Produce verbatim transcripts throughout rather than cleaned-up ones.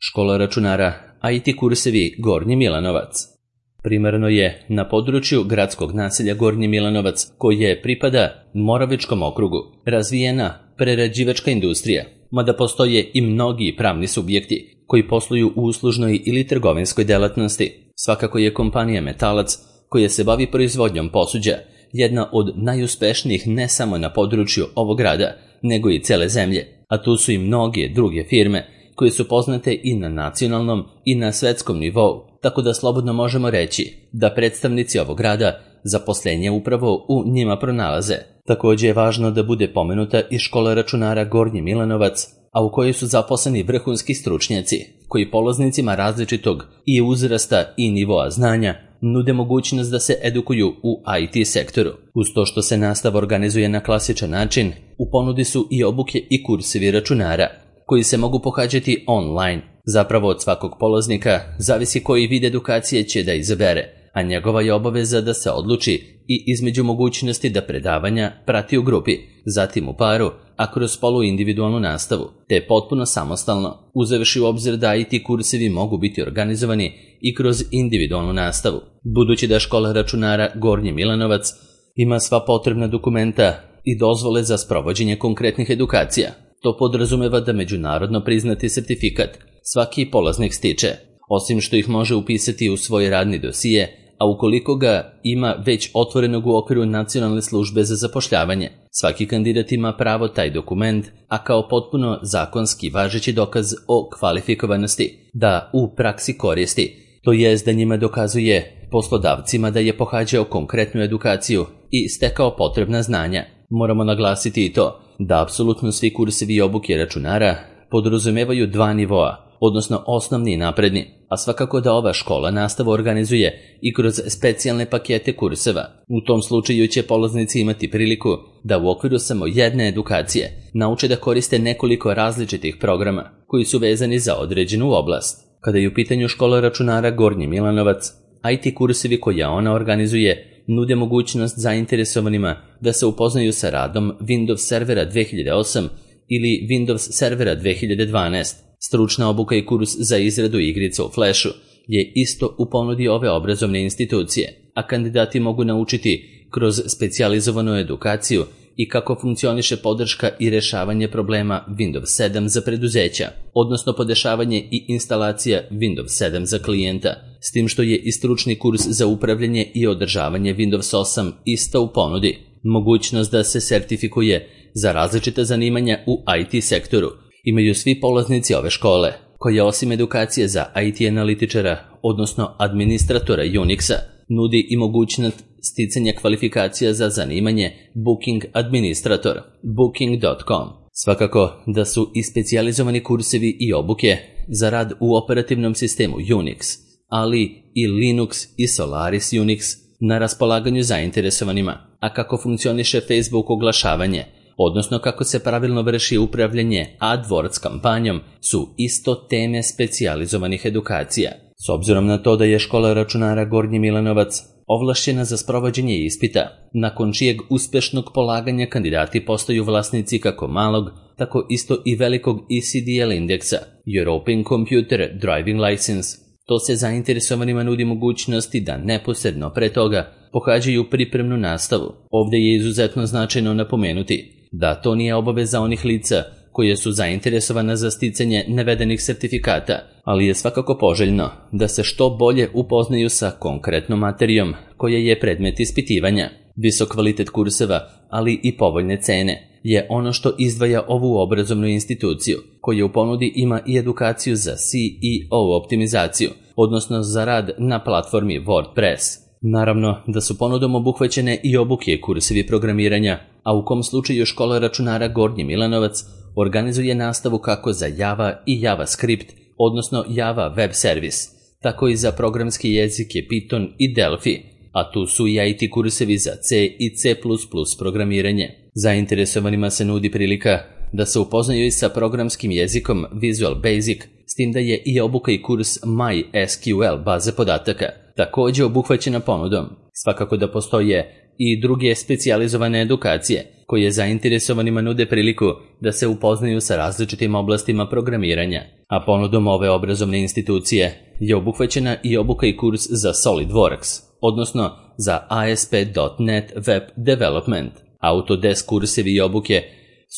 Škola računara I T kursevi Gornji Milanovac. Primarno je na području gradskog naselja Gornji Milanovac, koje pripada Moravičkom okrugu, razvijena prerađivačka industrija, mada postoje i mnogi pravni subjekti koji posluju u uslužnoj ili trgovinskoj delatnosti. Svakako je kompanija Metalac, koja se bavi proizvodnjom posuđa, jedna od najuspešnijih ne samo na području ovog grada, nego i cele zemlje, a tu su i mnoge druge firme koje su poznate i na nacionalnom i na svetskom nivou, tako da slobodno možemo reći da predstavnici ovog grada zaposlenje upravo u njima pronalaze. Također je važno da bude pomenuta i škola računara Gornji Milanovac, a u kojoj su zaposleni vrhunski stručnjaci, koji polaznicima različitog i uzrasta i nivoa znanja nude mogućnost da se edukuju u I T sektoru. Uz to što se nastava organizuje na klasičan način, u ponudi su i obuke i kursevi računara, koji se mogu pohađati online. Zapravo od svakog polaznika zavisi koji vid edukacije će da izabere, a njegova je obaveza da se odluči i između mogućnosti da predavanja prati u grupi, zatim u paru, a kroz poluindividualnu nastavu, te potpuno samostalno, uzevši u obzir da I T kursevi mogu biti organizovani i kroz individualnu nastavu. Budući da škola računara Gornji Milanovac ima sva potrebna dokumenta i dozvole za sprovođenje konkretnih edukacija, to podrazumeva da međunarodno priznati sertifikat svaki polaznik stiče, osim što ih može upisati u svoj radni dosije, a ukoliko ga ima već otvorenog u okviru Nacionalne službe za zapošljavanje, svaki kandidat ima pravo taj dokument, a kao potpuno zakonski važeći dokaz o kvalifikovanosti, da u praksi koristi, to jest da njima dokazuje poslodavcima da je pohađao konkretnu edukaciju i stekao potrebna znanja. Moramo naglasiti i to da apsolutno svi kursevi i obuke računara podrazumevaju dva nivoa, odnosno osnovni i napredni, a svakako da ova škola nastavu organizuje i kroz specijalne pakete kurseva. U tom slučaju će polaznici imati priliku da u okviru samo jedne edukacije nauče da koriste nekoliko različitih programa koji su vezani za određenu oblast. Kada je u pitanju škola računara Gornji Milanovac, I T kursevi koje ona organizuje nude mogućnost zainteresovanima da se upoznaju sa radom Windows servera dve hiljade osam ili Windows servera dve hiljade dvanaest. Stručna obuka i kurs za izradu igrica u Flashu je isto u ponudi ove obrazovne institucije, a kandidati mogu naučiti kroz specijalizovanu edukaciju i kako funkcioniše podrška i rešavanje problema Windows sedam za preduzeća, odnosno podešavanje i instalacija Windows sedam za klijenta, s tim što je i stručni kurs za upravljanje i održavanje Windows osam isto u ponudi. Mogućnost da se sertifikuje za različita zanimanja u I T sektoru imaju svi polaznici ove škole, koja osim edukacije za I T analitičara, odnosno administratora Unixa, nudi i mogućnost sticanja kvalifikacija za zanimanje Booking administrator, booking dot com. Svakako da su i specijalizovani kursevi i obuke za rad u operativnom sistemu Unix, ali i Linux i Solaris Unix na raspolaganju zainteresovanima, a kako funkcioniše Facebook oglašavanje, odnosno kako se pravilno vrši upravljanje AdWords kampanjom, su isto teme specijalizovanih edukacija. S obzirom na to da je škola računara Gornji Milanovac ovlašćena za sprovođenje ispita, nakon čijeg uspešnog polaganja kandidati postaju vlasnici kako malog, tako isto i velikog E C D L indeksa, European Computer Driving License, to se zainteresovanima nudi mogućnosti da neposredno pre toga pohađaju pripremnu nastavu. Ovdje je izuzetno značajno napomenuti da to nije obaveza onih lica koje su zainteresovana za sticanje navedenih sertifikata, ali je svakako poželjno da se što bolje upoznaju sa konkretnom materijom koja je predmet ispitivanja. Visok kvalitet kurseva, ali i povoljne cene, je ono što izdvaja ovu obrazovnu instituciju, koja u ponudi ima i edukaciju za S E O optimizaciju, odnosno za rad na platformi WordPress. Naravno da su ponudom obuhvaćene i obuke i kursevi programiranja, a u kom slučaju škola računara Gornji Milanovac organizuje nastavu kako za Java i JavaScript, odnosno Java web servis, tako i za programske jezike Python i Delphi, a tu su i I T kursevi za C i C plus plus programiranje. Zainteresovanima se nudi prilika da se upoznaju i sa programskim jezikom Visual Basic, s tim da je i obuka i kurs MySQL baze podataka također obuhvaćena ponudom. Svakako da postoje i druge specijalizovane edukacije koje zainteresovanima nude priliku da se upoznaju sa različitim oblastima programiranja, a ponudom ove obrazovne institucije je obuhvaćena i obuka i kurs za SolidWorks, odnosno za A S P dot net Web Development. Autodesk kursevi i obuke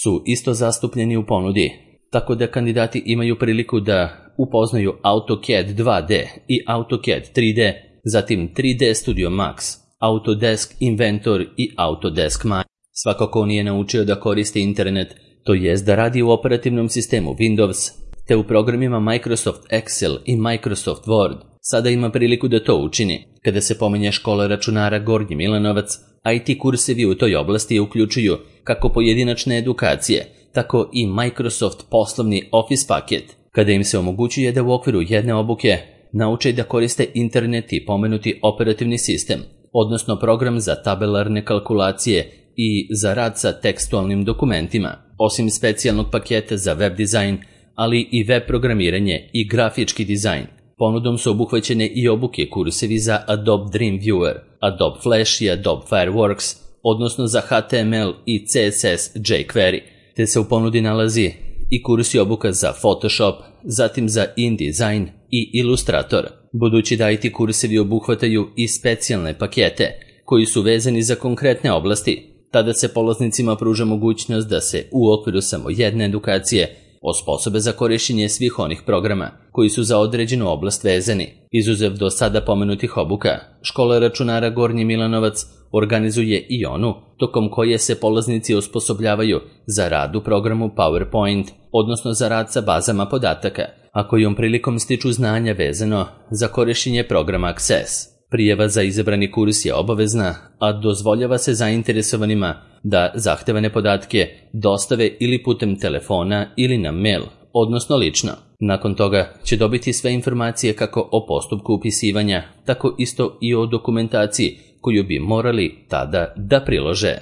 su isto zastupljeni u ponudi, tako da kandidati imaju priliku da upoznaju AutoCAD dva D i AutoCAD tri D, zatim tri D Studio Max, Autodesk Inventor i Autodesk Maya. Svako ko nije naučio da koristi internet, to jest da radi u operativnom sistemu Windows, te u programima Microsoft Excel i Microsoft Word, sada ima priliku da to učini. Kada se pominje škola računara Gornji Milanovac, I T kursevi u toj oblasti uključuju kako pojedinačne edukacije, tako i Microsoft poslovni Office paket, kada im se omogućuje da u okviru jedne obuke nauče da koriste internet i pomenuti operativni sistem, odnosno program za tabelarne kalkulacije i za rad sa tekstualnim dokumentima, osim specijalnog paketa za web dizajn, ali i web programiranje i grafički dizajn. Ponudom su obuhvaćene i obuke kursevi za Adobe Dreamweaver, Adobe Flash i Adobe Fireworks, odnosno za H T M L i C S S jQuery, te se u ponudi nalazi i kursi obuka za Photoshop, zatim za InDesign i Illustrator. Budući da I T kursevi obuhvataju i specijalne pakete koji su vezani za konkretne oblasti, tada se polaznicima pruža mogućnost da se u okviru samo jedne edukacije osposobe za korišćenje svih onih programa koji su za određenu oblast vezani. Izuzev do sada pomenutih obuka, škola računara Gornji Milanovac organizuje i onu tokom koje se polaznici osposobljavaju za rad u programu PowerPoint, odnosno za rad sa bazama podataka, a kojom prilikom stiču znanja vezano za korišćenje programa Access. Prijava za izabrani kurs je obavezna, a dozvoljava se zainteresovanima da zahtevane podatke dostave ili putem telefona ili na mail, odnosno lično. Nakon toga će dobiti sve informacije kako o postupku upisivanja, tako isto i o dokumentaciji koju bi morali tada da prilože.